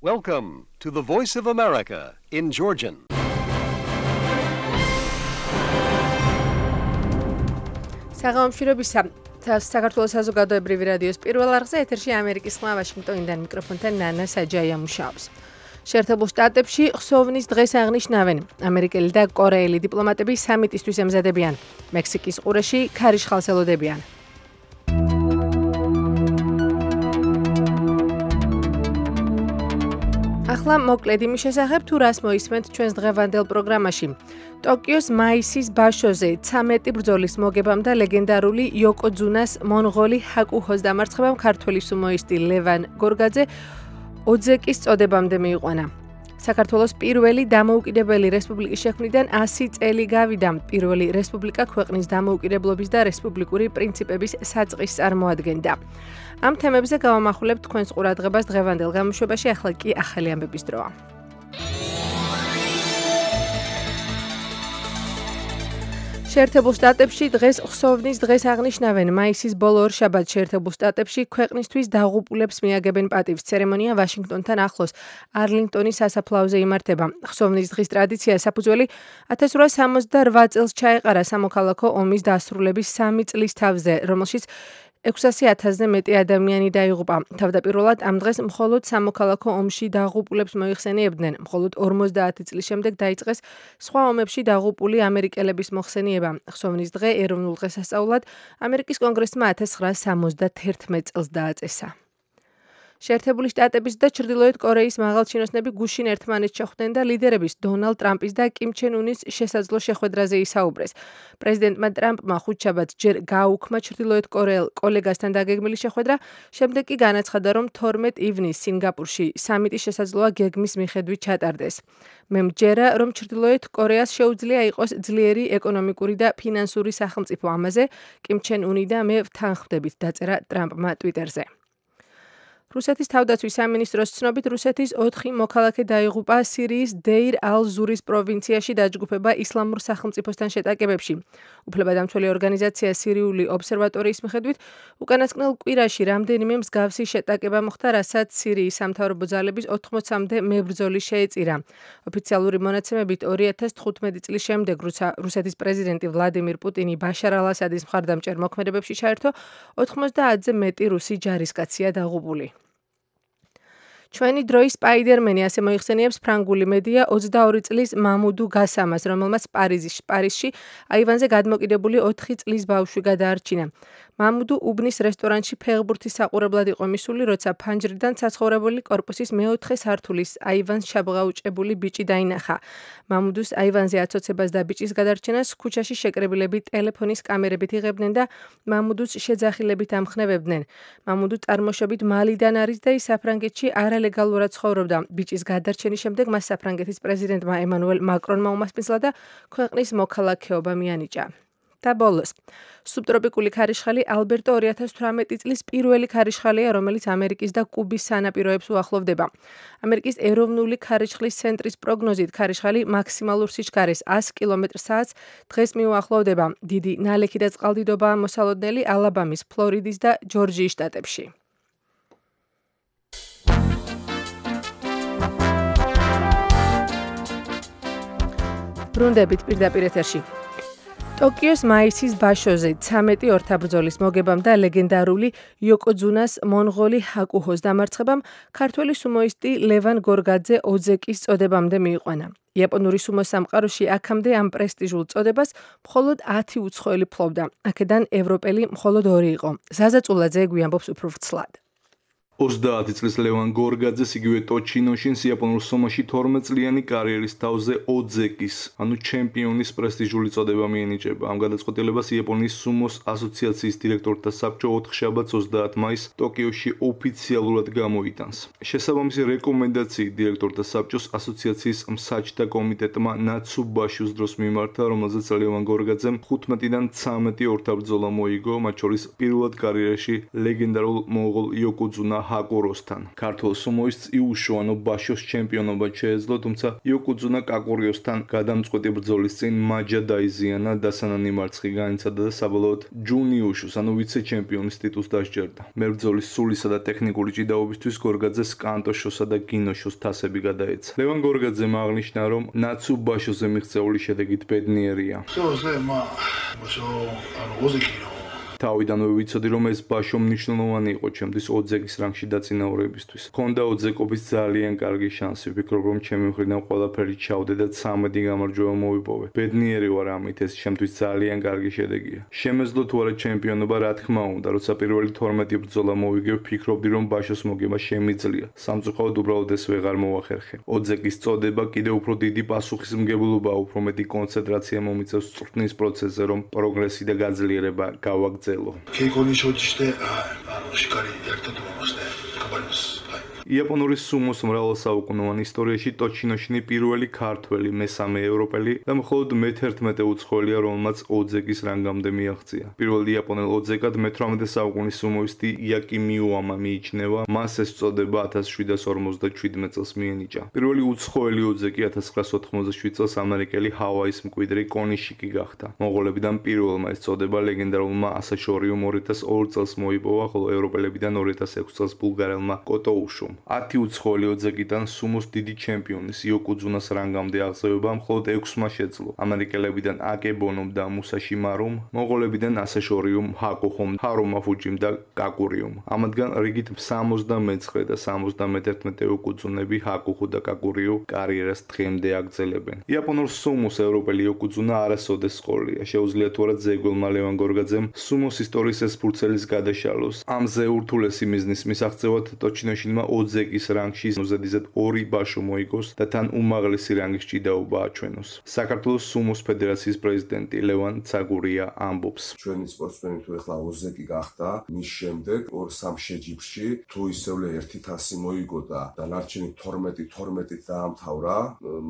Welcome to the Voice of America in Georgian. საღამომშვიდობისა საქართველოს საზოგადოებრივი რადიოს პირველ არხზე ეთერში ამერიკის ხმა ვაშინგტონიდან მიკროფონთან ნანა საჯაია მუშაობს. შეერთებულ შტატებში ხსოვნის დღეს აღნიშნავენ. ამერიკელი და კორეელი დიპლომატები სამიტისთვის ემზადებიან. მექსიკის ყურეში ქარიშხალს ელოდებიან. ახლა მოკლედ იმის შესახებ თუ რას მოისმენთ ჩვენს დღევანდელ პროგრამაში. ტოკიოს მაისის ბაშოზე 13 ბრძოლის მოგებამ და ლეგენდარული იოკოძუნას მონღოლი ჰაკუჰოს დამარცხებამ ქართველი სუმოისტი ლევან გორგაძე ოძეკის წოდებამდე მიიყვანა. საქართველოს პირველი დამოუკიდებელი რესპუბლიკის შექმნიდან 100 წელი გავიდა. პირველი რესპუბლიკა ქვეყნის დამოუკიდებლობის და რესპუბლიკური პრინციპების საწყისს წარმოადგენდა. ამ თემებზე გავამახვილებთ თქვენს ყურადღებას დღევანდელ გამოშვებაში, ახლა კი ახალი ამბების დროა. შეერთებულ შტატებში დღეს ხსოვნის დღეს აღნიშნავენ. მაისის ბოლო ორშაბათს შეერთებულ შტატებში ქვეყნისთვის დაღუპულებს მიაგებენ პატივს. ცერემონია ვაშინგტონთან ახლოს არლინგტონის სასაფლაოზე იმართება. ხსოვნის დღის ტრადიცია საფუძველი 1868 წელს ჩაეყარა სამოქალაქო ომის დასრულების 3 წლის თავზე, რომელშიც 600,000-ზე მეტი ადამიანი დაიღუპა. თავდაპირველად ამ დღეს მხოლოდ სამოქალაქო ომში დაღუპულებს მოიხსენიებდნენ. მხოლოდ 50 წლის შემდეგ დაიწყეს სხვა ომებში დაღუპული ამერიკელების მოხსენიება. ხსოვნის დღე ეროვნულ დღესასწაულად ამერიკის კონგრესმა 1971 წელს დააწესა. შეერთებული შტატების და ჩრდილოეთ კორეის მაღალჩინოსნები გუშინ ერთმანეთს შეხვდნენ და ლიდერების დონალდ ტრამპის და კიმ ჩენ უნის შესაძლო შეხვედრაზე ისაუბრეს. პრეზიდენტმა ტრამპმა ხუთშაბათს ჯერ გააუქმა ჩრდილოეთ კორეელ კოლეგასთან დაგეგმილი შეხვედრა, შემდეგ კი განაცხადა, რომ 12 ივნისს სინგაპურში სამიტი შესაძლოა გეგმის მიხედვით ჩატარდეს. მე მჯერა, რომ ჩრდილოეთ კორეას შეუძლია იყოს ძლიერი ეკონომიკური და ფინანსური სახელმწიფო. ამაზე კიმ ჩენ უნი და მე ვთანხმდებით, დაწერა ტრამპმა ტვიტერზე. რუსეთის თავდაცვის სამინისტროს ცნობით, რუსეთის 4 მოქალაქე დაიღუპა სირიის დეირ ალ-ზურის პროვინციაში დაჯგუფება ისლამურ სახელმწიფოსთან შეტაკებებში. უფლებადამცველი ორგანიზაცია სირიული ობსერვატორიის მიხედვით, უკანასკნელ კვირაში რამდენიმე მსგავსი შეტაკება მოხდა, რასაც სირიის სამთავრობო ძალების 80-მდე მებრძოლი შეეწირა. ოფიციალური მონაცემებით 2015 წლის შემდეგ, როცა რუსეთის პრეზიდენტი ვლადიმირ პუტინი ბაშარ ალ-ასადის მხარდამჭერ მოქმედებებში ჩაერთო, 90-ზე მეტი რუსი ჯარისკაცია დაღუპული. ჩვენი დროის სპაიდერმენი, ასე მოიხსენიებს ფრანგული მედია 22 წლის მამუდუ გასამას, რომელმაც პარიზში აივანზე გადმოკიდებული 4 წლის ბავშვი გადაარჩინა. მამუდუ უბნის რესტორანში ფეხბურთის საყურებლად იყო მისული, როცა ფანჯრიდან საცხოვრებელი კორპუსის მეოთხე სართულის აივანს ჩაბღაუჭებული ბიჭი დაინახა. მამუდუს აივანზე აცოცებას და ბიჭის გადარჩენას ქუჩაში შეკრებილები ტელეფონის კამერებით იღებდნენ და მამუდუს შეძახილებით ამხნევებდნენ. მამუდუ წარმოშობით მალიდან არის და ის საფრანგეთში არალეგალურად ცხოვრობდა. ბიჭის გადარჩენის შემდეგ მას საფრანგეთის პრეზიდენტმა ემანუელ მაკრონმა უმასპინძლა და ქვეყნის მოქალაქეობა მიანიჭა. და ბოლოს, სუბტროპიკული ქარიშხალი ალბერტო 2018 წლის პირველი ქარიშხალია, რომელიც ამერიკის და კუბის სანაპიროებს უახლოვდება. ამერიკის ეროვნული ქარიშხლის ცენტრის პროგნოზით ქარიშხალი მაქსიმალურ სიჩქარეს 100 კმ/სთ დღეს მიუახლოვდება. დიდი ნალექი და წყალდიდობაა მოსალოდნელი ალაბამის, ფლორიდის და ჯორჯიის შტატებში. ბრუნდებით პირდაპირ ეთერში. ტოკიოს მაისის ბაშოზე 13 ორთაბრძოლის მოგებამ და ლეგენდარული იოკოძუნას მონღოლი ჰაკუჰოს დამარცხებამ ქართველი სუმოისტი ლევან გორგაძე ოძეკის წოდებამდე მიიყვანა. იაპონური სუმო სამყაროში აქამდე ამ პრესტიჟულ წოდებას მხოლოდ 10 უცხოელი ფლობდა. აქედან ევროპელი მხოლოდ 2 იყო. ზაზა წულაძე გვიამბობს უფრო ვრცლად. 30 წლის ლევან გორგაძეს იგივე ტოჩინოშინს იაპონურ სუმოში 12 წლიანი კარიერის თავზე ოძეკის, ანუ ჩემპიონის პრესტიჟული წოდება მიენიჭება. ამ გადაწყვეტილებას იაპონიის სუმოს ასოციაციის დირექტორთა საბჭო 4 შაბათს 30 მაისს ტოკიოში ოფიციალურად გამოიტანს. შესაბამისი რეკომენდაციით დირექტორთა საბჭოს ასოციაციის მსაჯთა კომიტეტმა ნაცუბაშუს დროს მიმართა, რომელზეც ლევან გორგაძემ 15-დან 13 ორთაბრძოლა მოიგო, მათ შორის პირველად კარიერაში ლეგენდარულ მონღოლ იოკოძუნა ჰაკუროსთან. ქართულ სუმოის წიუშუანო ბაშოს ჩემპიონობა შეეძლო, თუმცა იოკუძუნა კაკურიოსთან გადამწყვეტი ბრძოლის წინ მაჯა დაიზიანა, დასანანი მარცხი განიცადა და საბოლოოდ ჯუნიუშუს, ანუ ვიცე-ჩემპიონის ტიტულს დასჯერდა. მებრძოლის სულისა და ტექნიკური ჭიდაობისთვის გორგაძეს კანტოშოსა და გინოშოს თასები გადაეცა. ლევან გორგაძემ აღნიშნა, რომ ნაცუ ბაშოზე მიღწეული შედეგით ბედნიერია. თავიდანვე ვიცოდი, რომ ეს ბაშო მნიშვნელოვანი იყო ჩემთვის ოძეგის რანგში დაწინაურებისთვის. მქონდა ოძეკობის ძალიან კარგი შანსი. ვფიქრობ, რომ ჩემი მხრიდან ყველაფერი ჩავდე და 13 გამარჯვება მოვიპოვე. ბედნიერი ვარ ამით, ეს ჩემთვის ძალიან კარგი შედეგია. შემეძლო თუ არა ჩემპიონობა, რა თქმა უნდა, როცა პირველი 12 ბრძოლა მოვიგე, ვფიქრობდი, რომ ბაშოს მოგება შემიძლია. სამწუხაროდ უბრალოდ ეს ვეღარ მოვახერხე. ოძეგის წოდება კიდევ უფრო დიდი პასუხისმგებლობაა, უფრო მეტი კონცენტრაცია მომიწევს წვრთნის პროცესზე, რომ პროგრესი და გაძლიერება გავაგრძელო. იაპონური სუმოს მრავალსაუკუნოვან ისტორიაში ტოჩინოშინი პირველი ქართველი, მესამე ევროპელი და მხოლოდ მე-11 უცხოელია, რომელმაც ოძეგის რანგამდე მიაღწია. პირველი იაპონელ ოძეგად მე-18 საუკუნის სუმოისტი იაკი მიუამა მიიჩნევა, მას ეს წოდება 1757 წელს მიენიჭა. პირველი უცხოელი ოძეგი 1987 წელს ამერიკელი ჰავაის მკვიდრი კონიშიკი გახდა. მონღოლებიდან პირველმა ეს წოდება ლეგენდარულმა ასაშორიუმ 2002 წელს მოიპოვა, ხოლო ევროპელებიდან 2006 წელს ბულგარელმა კოტოუშუმ. 10 უცხოელი ოძეგიდან სუმოს დიდი ჩემპიონის იოკუძუნას რანგამდე აღზევება მხოლოდ 6-მა შეძლო. ამერიკელებიდან აკებონომ და მუსაში მარუმ, მონღოლებიდან ასაშორიუმ ჰაკოხომ, ჰარომა ფუჯიმ და კაკურიუმ. ამათგან რიგით 69 და 71 იოკუძუნები ჰაკოხუ და კაკურიუ კარიერას დღემდე აგრძელებენ. იაპონურ სუმოს ევროპელი იოკუძუნა არასოდეს ყოლია. შეუძლია თუ არა ძეგლმა ლევან გორგაძემ სუმოს ისტორიის ეს ფურცელის გადაშალოს. ამზე ურთულესი მიზნის მისაღწევად ტოჩინოშინმა ოძეგის რანგში ზედიზედ 2 ბაშო მოიგოს და თან უმაღლესი რანგის ჭიდაობა აჩვენოს. საქართველოს სუმოს ფედერაციის პრეზიდენტი ლევან ცაგურია ამბობს. ჩვენი სპორტსმენი თუ ეხლა ოძეგი გახდა, მის შემდეგ 2-3 შეჯიბრში თუ ისევ ერთი თასი მოიგო და დანარჩენი 12-12-ით დაამთავრა,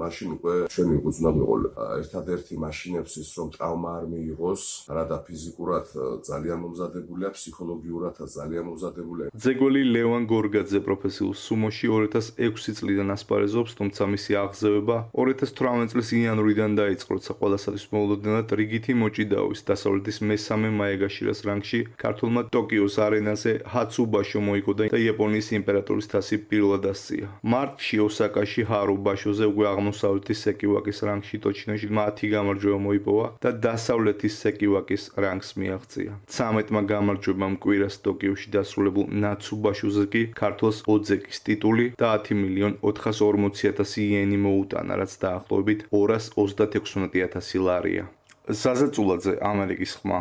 მაშინ უკვე ჩვენი უძნა მიყოლება. ერთადერთი მაშინებს ის რომ ტრავმა არ მიიღოს, რადა ფიზიკურად ძალიან მომზადებულია, ფსიქოლოგიურადაც ძალიან მომზადებულია. ძეგლი ლევან გორგაძე პროფესიულ სუმოში 2006 წლიდან ასპარეზობს, თუმცა მისი აღზევება 2018 წლის იანვრიდან დაიწყო, როცა ყველასათვის მოულოდნელად რიგითი მოჭიდაობის დასავლეთის მესამე მაეგაშირას რანგში ქართულმა ტოკიოს არენაზე ჰაცუ ბაშო მოიგო და იაპონიის იმპერატორის თასი პირველად ასწია. მარტში ოსაკაში ჰარო ბაშოზე უკვე აღმოსავლეთის სეკივაკის რანგში ტოჩინოში 10 გამარჯვება მოიპოვა და დასავლეთის სეკივაკის რანგს მიაღწია. 13-მა გამარჯვებამ კვირას ტოკიოში დასრულებულ ნაცუ ბაშოზე კი ქართულს ოძეგის ტიტული და 10.440.000 იენი მოუტანა, რაც დაახლოებით 236.000 ლარია. საზეწულაძე, ამერიკის ხმა.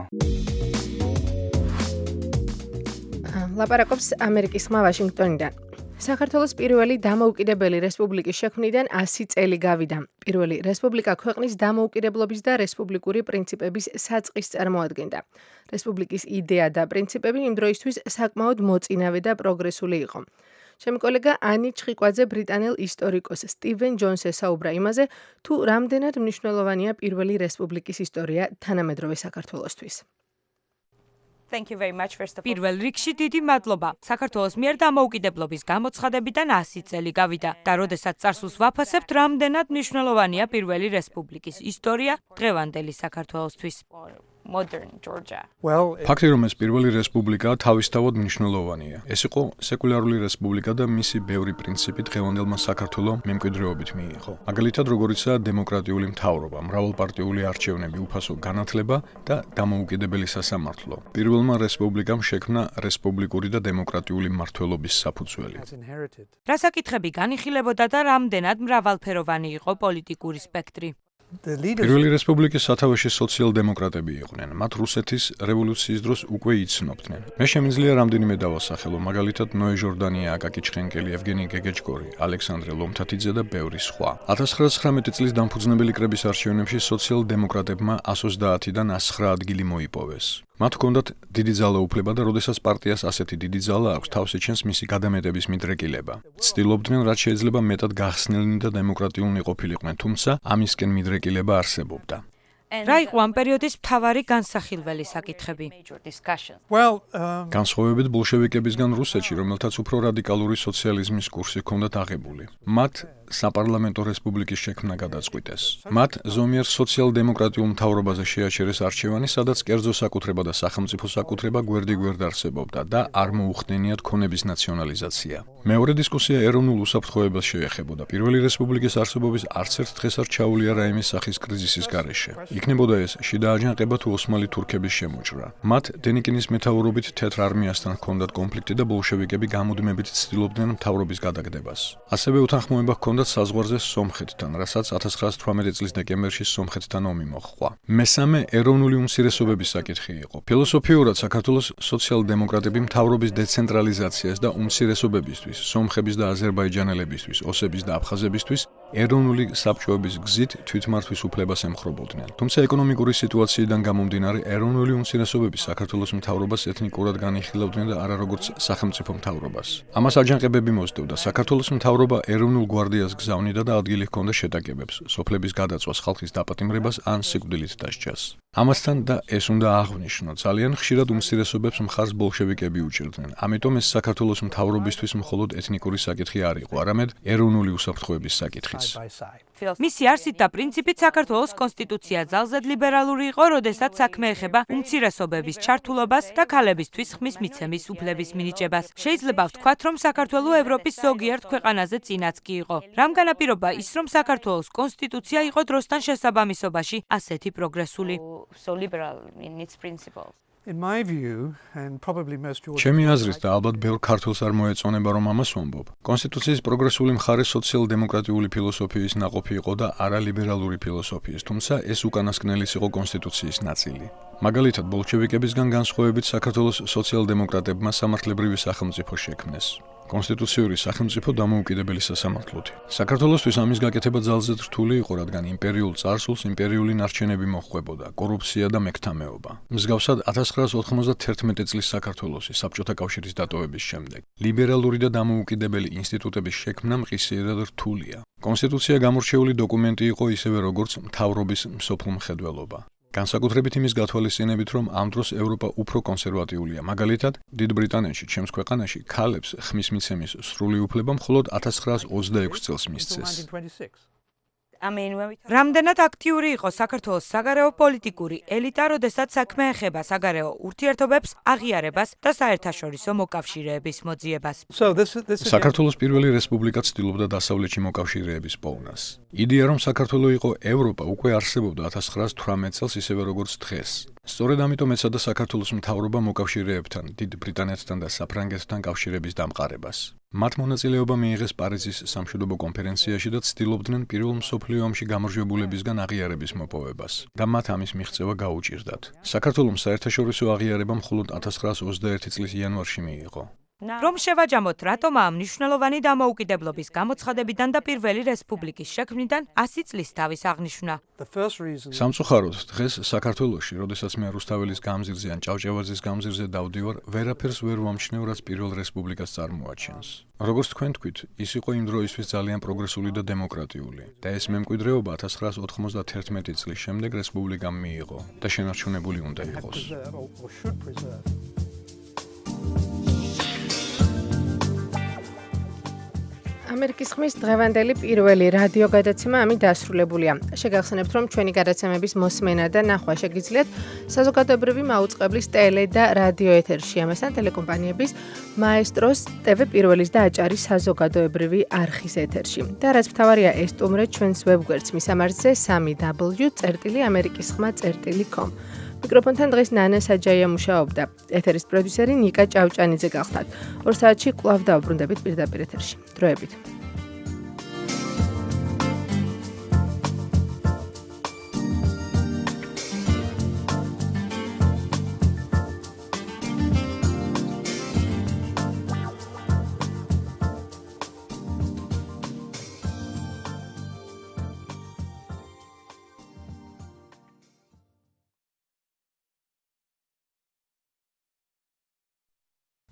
ლაპარაკობს ამერიკის ხმა ვაშინგტონიდან. საქართველოს პირველი დამოუკიდებელი რესპუბლიკის შექმნიდან 100 წელი გავიდა. პირველი რესპუბლიკა ქვეყნის დამოუკიდებლობის და რესპუბლიკური პრინციპების საწყის წარმოადგენდა. რესპუბლიკის იდეა და პრინციპები იმ დროისთვის საკმაოდ მოწინავე და პროგრესული იყო. ჩემი კოლეგა ანი ჩხიკვაძე ბრიტანელ ისტორიკოს სტივენ ჯონს ესაუბრა იმაზე, თუ რამდენად მნიშვნელოვანია პირველი რესპუბლიკის ისტორია თანამედროვე საქართველოსთვის. პირველ რიგში დიდი მადლობა. საქართველოს მიერ დამოუკიდებლობის გამოცხადებიდან 100 წელი გავიდა და როდესაც წარსულს ვაფასებთ, რამდენად მნიშვნელოვანია პირველი რესპუბლიკის ისტორია დღევანდელი საქართველოსთვის. ფაქტი, რომ ეს პირველი რესპუბლიკაა, თავისთავად მნიშვნელოვანია. ეს იყო სეკულარული რესპუბლიკა და მისი ბევრი პრინციპი დღევანდელმა საქართველოს მემკვიდრეობით მიიღო. მაგალითად, როგორიცაა დემოკრატიული მთავრობა, მრავალპარტიული არჩევნები, უფასო განათლება და დამოუკიდებელი სასამართლო. პირველმა რესპუბლიკამ შექმნა რესპუბლიკური და დემოკრატიული მმართველობის საფუძველი. რა საკითხები განიხილებოდა და რამდენად მრავალფეროვანი იყო პოლიტიკური სპექტრი? პირველი რესპუბლიკის სათავეში სოციალ-დემოკრატები იყვნენ. მათ რუსეთის რევოლუციის დროს უკვე იცნობდნენ. მე შემიძლია რამდენიმე დავასახელო, მაგალითად ნოე ჟორდანია, აკაკი ჩხენკელი, ევგენი გეგეჭკორი, ალექსანდრე ლომთათიძე და ბევრი სხვა. 1919 წლის დამფუძნებელი კრების არჩევნებში სოციალ-დემოკრატებმა 130-დან 109 ადგილი მოიპოვეს. მათ ჰქონდათ დიდი ძალაუფლება და როდესაც პარტიას ასეთი დიდი ძალა აქვს, თავს ეჩენს მისი გადამეტების მიდრეკილება. ცდილობდნენ, რაც შეიძლება მეტად გახსნილნი და დემოკრატიულნი ყოფილიყვნენ, თუმცა ამისკენ მიდრეკილება არსებობდა. რა იყო ამ პერიოდის მთავარი განსახილველი საკითხები? განსხვავებით ბოლშევიკებისგან რუსეთში, რომელთაც უფრო რადიკალური სოციალიზმის კურსი ჰქონდათ აღებული, მათ საპარლამენტო რესპუბლიკის შექმნა გადაწყვიტეს. მათ ზომიერ სოციალ-დემოკრატიულ მთავრობაზე შეაჩერეს არჩევანი, სადაც კერძო საკუთრება და სახელმწიფო საკუთრება გვერდიგვერდ არსებობდა და არ მოუხდენიათ ქონების ნაციონალიზაცია. მეორე დისკუსია ეროვნულ უსაფრთხოებას შეეხებოდა. პირველი რესპუბლიკის არსებობის არც ერთ დღეს არ ჩაუვლია რაიმე სახის კრიზისის გარეშე. იქნებოდა ეს შიდა აჯანყება თუ ოსმალი თურქების შემოჭრა. მათ დენიკინის მეთაურობით თეთრ არმიასთან ჰქონდათ კონფლიქტი და ბოლშევიკები გამუდმებით ცდილობდნენ მთავრობის გადაგდებას. ასევე უთანხმოება ჰქონდათ საზღვარზე სომხეთთან, რასაც 1918 წლის დეკემბერში სომხეთთან ომი მოჰყვა. მესამე ეროვნული უმცირესობების საკითხი იყო. ფილოსოფიურად საქართველოს სოციალ-დემოკრატები მთავრობის დეცენტრალიზაციას და უმცირესობებისთვის, სომხების და აზერბაიჯანელებისთვის, ოსების და აფხაზებისთვის ეროვნული საბჭოების გზით თვითმართვის უფლებას ემხრობოდნენ. თუმცა ეკონომიკური სიტუაციიდან გამომდინარე, ეროვნული უმცირესობები საქართველოს მთავრობას ეთნიკურად განიხილავდნენ და არა როგორც სახელმწიფო მთავრობას. ამას აჯანყებები მოსდევდა. საქართველოს მთავრობა ეროვნულ გვარდიას გზავნიდა და ადგილი ჰქონდა შეტაკებებს, სოფლების გადაწვას, ხალხის დაპატიმრებას ან სიკვდილით დასჯას. ამასთან და ეს უნდა აღვნიშნო, ძალიან ხშირად უმცირესობებს მხარს ბოლშევიკები უჭერდნენ. ამიტომ ეს საქართველოს მთავრობისთვის მხოლოდ ეთნიკური საკითხი არ იყო, არამედ ეროვნული უსაფრთხოების საკითხიც. მისი არსით და პრინციპით საქართველოს კონსტიტუცია ძალზედ ლიბერალური იყო, როდესაც საქმე ეხება უმცირესობების ჩართულობას და ქალებისთვის ხმის მიცემის უფლების მინიჭებას. შეიძლება ვთქვათ, რომ საქართველო ევროპის ზოგიერთ ქვეყანაზე წინაც კი იყო. რამ განაპირობა ის, რომ საქართველოს კონსტიტუცია იყო დროსთან შესაბამისობაში ასეთი პროგრესული? ჩემი აზრით და ალბათ ბევრ ქართველს არ მოეწონება რომ ამას ვამბობ. კონსტიტუციის პროგრესული მხარე სოციალ-დემოკრატიული ფილოსოფიის ნაყოფი იყო და არა ლიბერალური ფილოსოფიის, თუმცა ეს უკანასკნელის იყო კონსტიტუციის ნაწილი. მაგალითად, ბოლშევიკებისგან განსხვავებით საქართველოს სოციალ-დემოკრატებმა სამართლებრივი სახელმწიფო შექმნეს. კონსტიტუციური სახელმწიფო დამოუკიდებელი სასამართლოთი. საქართველოსთვის ამის გაკეთება ძალზედ რთული იყო, რადგან იმპერიულ წარსულს იმპერიული ნარჩენები მოჰყვებოდა, კორუფცია და მექთამეობა. მსგავსად 1991 წლის საქართველოსი საბჭოთა კავშირის დატოვების შემდეგ ლიბერალური და დამოუკიდებელი ინსტიტუტების შექმნა მყისიერად რთულია. კონსტიტუცია გამორჩეული დოკუმენტი იყო ისევე როგორც მთავრობის მსოფლმხედველობა. განსაკუთრებით იმის გათვალისწინებით, რომ ამ დროს ევროპა უფრო კონსერვატიულია. მაგალითად, დიდ ბრიტანეთში, ჩემს ქვეყანაში, ქალებს ხმის მიცემის სრული უფლება მხოლოდ 1926 წელს მისცეს. რამდენად აქტიური იყო საქართველოს საგარეო პოლიტიკური ელიტა, როდესაც საქმე ეხება საგარეო ურთიერთობებს, აღიარებას და საერთაშორისო მოკავშირეების მოძიებას. საქართველოს პირველი რესპუბლიკა ცდილობდა დასავლეთში მოკავშირეების პოვნას. იდეა, რომ საქართველო იყო ევროპა, უკვე არსებობდა 1918 წელს ისევე როგორც დღეს. სწორედ ამიტომ ეცადა საქართველოს მთავრობა მოკავშირეებთან, დიდ ბრიტანეთთან და საფრანგეთთან კავშირების დამყარებას. მათ მონაწილეობა მიიღეს პარიზის სამშვიდობო კონფერენციაში და ცდილობდნენ პირველ მსოფლიო ომში გამარჯვებულებისგან აღიარების მოპოვებას და მათ ამის მიღწევა გაუჭირდათ. საქართველოს საერთაშორისო აღიარება მხოლოდ 1921 წლის იანვარში მიიღო. რომ შევაჯამოთ, რატომ ამ მნიშვნელოვანი დამოუკიდებლობის გამოცხადებიდან და პირველი რესპუბლიკის შექმნიდან 100 წლის თავის აღნიშვნა. სამწუხაროდ, დღეს საქართველოში, როდესაც მე რუსთაველის გამზირზე ან ჭავჭავაძის გამზირზე დავდივარ, ვერაფერს ვერ ვამჩნევ, რაც პირველ რესპუბლიკას წარმოაჩენს. როგორც თქვენ თქვით, ის იყო იმ დროისთვის ძალიან პროგრესული და დემოკრატიული და ეს მემკვიდრეობა 1991 წლის შემდეგ რესპუბლიკამ მიიღო და შენარჩუნებული უნდა იყოს. ამერიკის ხმის დღევანდელი პირველი რადიო გადაცემა ამით დასრულებულია. შეგახსენებთ, რომ ჩვენი გადაცემების მოსმენა და ნახვა შეგიძლიათ საზოგადოებრივი მაუწყებლის ტელე და რადიო ეთერში, ამასთან ტელეკომპანიების მაესტროს, TV პირველის და აჭარის საზოგადოებრივი არხის ეთერში. და რაც მთავარია, ესტუმრეთ ჩვენს ვებგვერდს მისამართზე 3w.amerikisxma.com. მიკროფონთან დღეს ნანა საჯაია მუშაობდა. ეთერის პროდიუსერი ნიკა ჭავჭანიძე გახლდათ. 2 საათში კვლავ დავბრუნდებით პირდაპირ ეთერში. დროებით.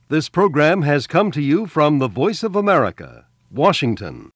This program has come to you from the Voice of America, Washington.